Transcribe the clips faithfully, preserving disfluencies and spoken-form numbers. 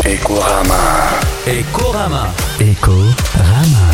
ايكوراما. ايكوراما. ايكوراما.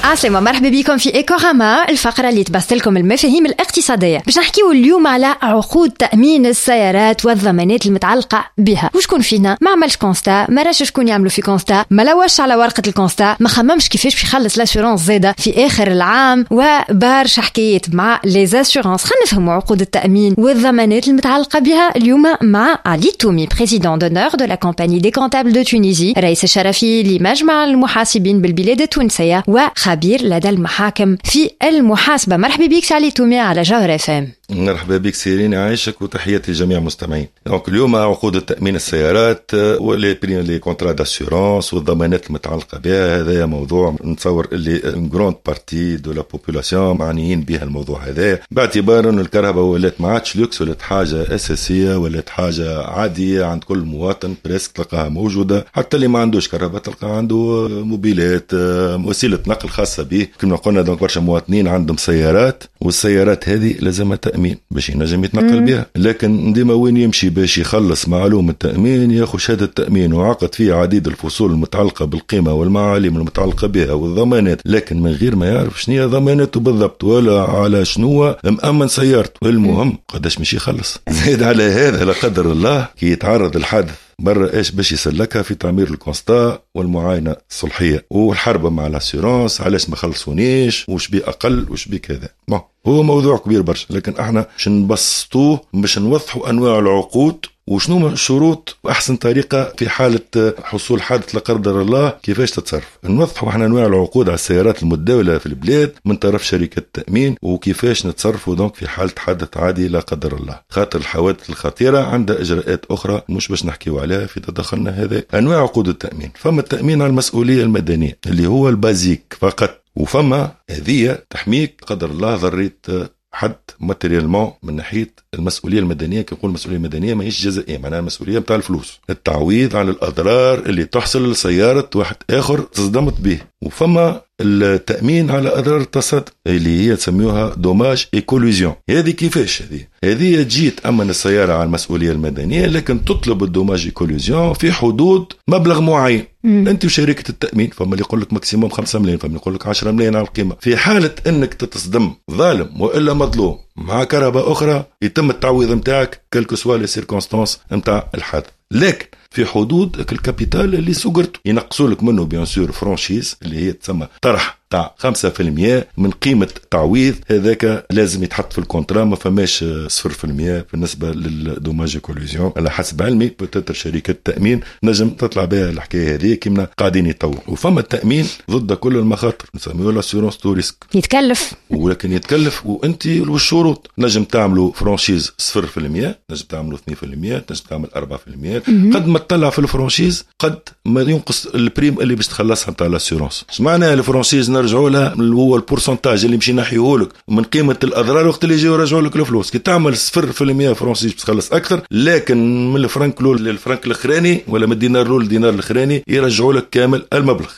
عسلامة، مرحبا بكم في ايكوراما، الفقرة اللي تبسط لكم المفاهيم الاقتصادية. باش نحكيو اليوم على عقود تأمين السيارات والضمانات المتعلقة بها. وشكون فينا ما عملش constat، ما راش شكون يعملوا في constat، ما لوش على ورقة ال constat، ما خممش كيفاش باش يخلص l'assurance زادة في آخر العام، وبرشا حكايات مع les assurances. خلينا نفهموا عقود التأمين والضمانات المتعلقة بها اليوم مع علي تومي، président d'honneur de la Compagnie des comptables de Tunisie، رئيس الشرفي لمجمع المحاسبين بالبلاد التونسية وخبير لدى المحاكم في المحاسبة. مرحبا بك علي تومي على جوهر اف ام. مرحبا بك سيرين، عايشك وتحياتي لجميع المستمعين. donc اليوم عقود التامين السيارات و les primes، les contrats d'assurance والضمانات المتعلقة بها، هذا موضوع نتصور اللي une grande partie de la population معنيين بها الموضوع هذا، باعتبار انه الكرهبة ولات ما عادش لوكس، ولات حاجة اساسيه، ولات حاجة عادية عند كل مواطن presque تلقاها موجوده. حتى اللي ما عندوش كرهبة تلقى عنده موبيلات، وسيلة نقل خاصة به كما قلنا. donc برشا مواطنين عندهم سيارات، والسيارات هذه لازمها تامين باش ينجم يتنقل بها. لكن ديما وين يمشي باش يخلص معلوم التامين، ياخذ شهادة التامين وعقد فيه عديد الفصول المتعلقة بالقيمة والمعاليم المتعلقة بها والضمانات، لكن من غير ما يعرف شنو هي ضماناته بالضبط ولا على شنو مأمن سيارته. المهم قداش مش يخلص. زيد على هذا، لا قدر الله كي يتعرض الحادث برا، ايش باش يسلكها في تعمير ال constat والمعاينه الصلحيه والحرب مع l'assurance، علاش ما خلصونيش، وش بي اقل، وش بي كذا. bon، هو موضوع كبير برشا، لكن احنا باش نبسطوه، باش نوضحوا انواع العقود وشنو الشروط واحسن طريقه في حاله حصول حادث لا قدر الله كيفاش تتصرف. نوضحوا احنا انواع العقود على السيارات المتداولة في البلاد من طرف شركة التامين، وكيفاش نتصرفوا donc في حاله حادث عادي لا قدر الله، خاطر الحوادث الخطيرة عندها اجراءات اخرى مش باش نحكيو عليها في تدخلنا هذا. انواع عقود التامين: فما التامين على المسؤولية المدنية اللي هو ال basique فقط، وفما هذه تحميك قدر الله ضريت حد matériellement من ناحية المسؤولية المدنيه. كي نقول المسؤولية المدنية ماهيش جزائيه، معناها المسؤولية نتاع الفلوس، التعويض على الاضرار اللي تحصل لسيارة واحد اخر تصدمت به. وفما التامين على اضرار التصادم اللي هي تسميوها dommages et collisions. هذه كيفاش؟ هذه هذه تجي تامن السيارة على المسؤولية المدنيه، لكن تطلب ال dommages et collisions في حدود مبلغ معين مم. انت وشركه التامين، فما اللي يقول لك maximum خمسة ملايين، فما اللي يقول لك عشرة ملايين على القيمه. في حاله انك تتصدم ظالم والا مظلوم مع كرهبة اخرى، يتم التعويض نتاعك quelles que soient les circonstances نتاع الحادث، لكن في حدود ال capital اللي سقرته ينقصوا لك منه bien sûr franchise اللي هي تسمى طرح تاع خمسة في المية من قيمة تعويض. هذاك لازم يتحط في ال contrat، ما فماش صفر في المية بالنسبة لل dommages collisions على حسب علمي. peut-être شركة التأمين نجم تطلع بها الحكاية هذه كيما قاعدين يطوروا. وفما التأمين ضد كل المخاطر، نسميه l'assurance tous risques. يتكلف. ولكن يتكلف، وانت والشروط نجم تعملوا franchise صفر في المية، نجم تعملوا اثنين في المية، نجم تعمل أربعة في المية. قد ما تطلع في ال franchise قد ما ينقص ال prime اللي باش تخلصها نتاع l'assurance. اش معناها ال franchise؟ نرجعوا لها، اللي هو ال pourcentage اللي مشي نحيه لك من قيمة الاضرار وقت اللي يجيو يرجعوا لك الفلوس. كي تعمل صفر في المية franchise باش تخلص اكثر، لكن من الفرنك الاول للفرنك الاخراني ولا من الدينار الاول للدينار الاخراني يرجعوا لك كامل المبلغ،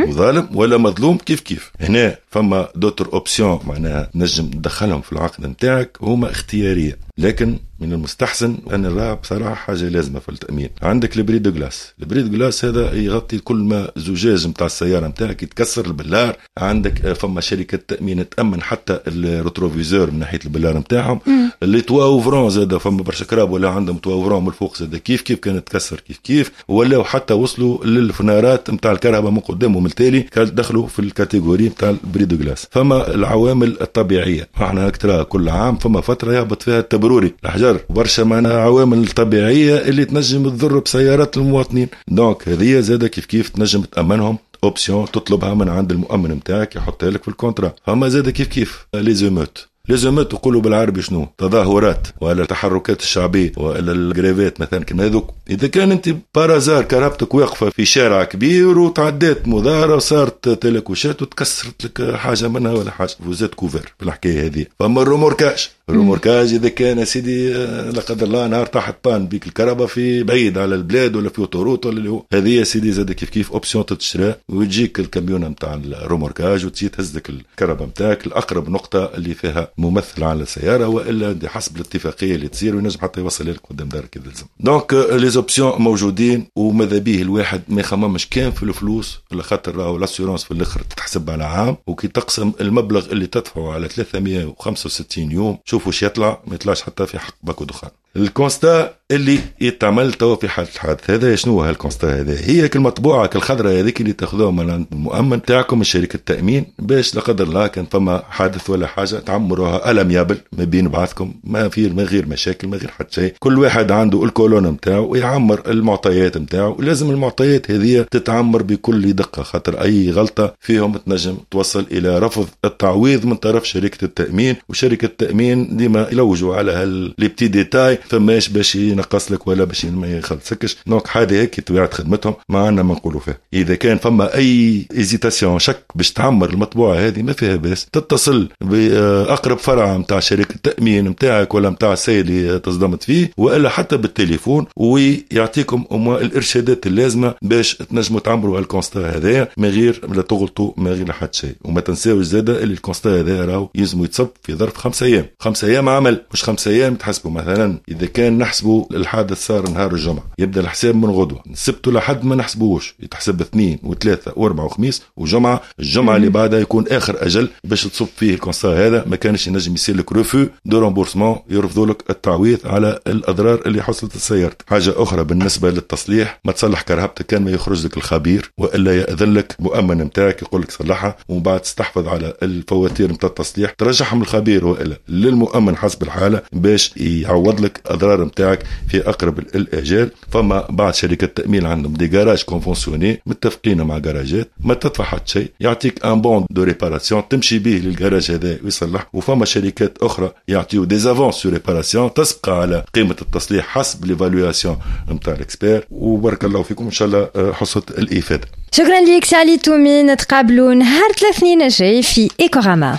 وظالم ولا مظلوم كيف كيف. هنا فما d'autres options، معناها نجم تدخلهم في العقد نتاعك، هما اختياريه، لكن من المستحسن ان نراها بصراحة حاجة لازمه في التامين. عندك ال bris de glace. ال bris de glace هذا يغطي كل ما زجاج نتاع السيارة نتاعك يتكسر، البلار. عندك فما شركة تامين تامن حتى ال rétroviseur من ناحية البلار نتاعهم. les toits ouvrants زاد، فما برشا كراهب ولا عندهم toit ouvrant من الفوق، زاد كيف كيف كانت تكسر كيف كيف. ولاو حتى وصلوا للفنارات نتاع الكرهبة من قدام ومن التالي، دخلوا في ال catégorie نتاع ال bris de glace. فما العوامل الطبيعيه، احنا ترى كل عام فما فترة يهبط فيها التبروري، الحجر، برشا معناها عوامل طبيعية اللي تنجم تضر بسيارات المواطنين. donc هذه زاده كيف كيف تنجم تامنهم، option تطلبها من عند المؤمن نتاعك يحطها لك في ال contrat. فما زاده كيف كيف les émeutes. les émeutes يقولوا بالعربي شنو؟ تظاهرات ولا التحركات الشعبية ولا ال grève ات مثلا كما هذوك. اذا كان انت par hasard كرهبتك واقفة في شارع كبير وتعديت مظاهره وصارت تلكوشات وتكسرت لك حاجة منها ولا حاجه، vous êtes couvert في الحكاية هذه. فما ال remorquage. remorquage اذا كان سيدي لا قدر الله نهار طاحت panne بيك الكرهبة في بعيد على البلاد ولا في autoroute ولا اللي هو، هذه يا سيدي زاد كيف كيف option تتشرى، وتجيك الكاميون نتاع ال remorquage وتجي تهز لك الكرهبة نتاعك لاقرب نقطة اللي فيها ممثل على السياره، والا حسب الاتفاقية اللي تصير، وينجم حتى يوصل لك قدام دارك اذا لزم. donc les options موجودين، وماذا به الواحد ما يخممش كان في الفلوس، على خاطر راهو l'assurance في الاخر تتحسب على عام، وكي تقسم المبلغ اللي تدفعه على ثلاثمية وخمسة وستين يوم شوفوا واش يطلع، ما يطلعش حتى في حق باكو دخان. ال constat اللي يتعمل توا في حاله الحادث هذا، شنو هو هال constat هذا؟ هي كالمطبوعه كالخضراء هذيك اللي تاخذوها من عند المؤمن تاعكم من شركة التامين، باش لا قدر الله كان فما حادث ولا حاجة تعمروها à l'amiable ما بين بعضكم، ما في من غير مشاكل ما غير حتى شيء. كل واحد عنده ال colonne نتاعو ويعمر المعطيات نتاعو، ولازم المعطيات هذه تتعمر بكل دقه، خاطر اي غلطه فيهم تنجم توصل الى رفض التعويض من طرف شركة التامين، وشركه التامين ديما يلوجوا على هال les petits détails فماش باش ينقص لك ولا باش ما يخلصكش. donc هذه هيك طبيعة خدمتهم، ما عندنا ما نقولوا فيها. اذا كان فما اي hésitation شك باش تعمر المطبوعة هذه ما فيها باس، تتصل باقرب فرع نتاع شركة التامين نتاعك ولا نتاع السيد اللي تصدمت فيه، والا حتى بالتليفون، ويعطيكم الارشادات اللازمة باش تنجموا تعمروا ال constat هذايا من غير لا تغلطوا من غير حتى شيء. وما تنساوش زاده اللي ال constat هذا راهو يلزم يتصب في ظرف خمسة ايام، خمسة ايام عمل مش خمسة ايام تحسبوا. مثلا اذا كان نحسبوا الحادث صار نهار الجمعة يبدا الحساب من غدوه، السبت لحد ما نحسبوش، يتحسب اثنين وثلاثة واربعة وخميس وجمعه، الجمعة اللي بعدها يكون اخر اجل باش تصب فيه ال constat هذا. ما كانش ينجم يصير لك refus de remboursement، يرفضوا لك التعويض على الاضرار اللي حصلت لسيارتك. حاجة اخرى بالنسبة للتصليح، ما تصلح كرهبتك كان ما يخرج لك الخبير والا ياذن لك مؤمن نتاعك يقول لك صلحها، ومن بعد تستحفظ على الفواتير نتاع التصليح ترجعهم للخبير والا للمؤمن حسب الحالة باش يعوض لك اضرار نتاعك في اقرب الاجال. فما بعض شركات التامين عندهم des garages conventionnés متفقين مع جراجات، ما تدفع حتى شيء، يعطيك un bon de réparation تمشي به للجراج هذا ويصلح. وفما شركات اخرى يعطيو des avances sur réparation تسبق على قيمة التصليح حسب l'évaluation نتاع l'expert. وبارك الله فيكم، ان شاء الله حصة الافادة. شكرا لك سي علي تومي، نتقابلوا نهار الاثنين الجاي في ايكوراما.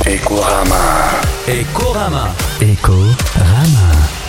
ايكوراما. ايكوراما. ايكوراما.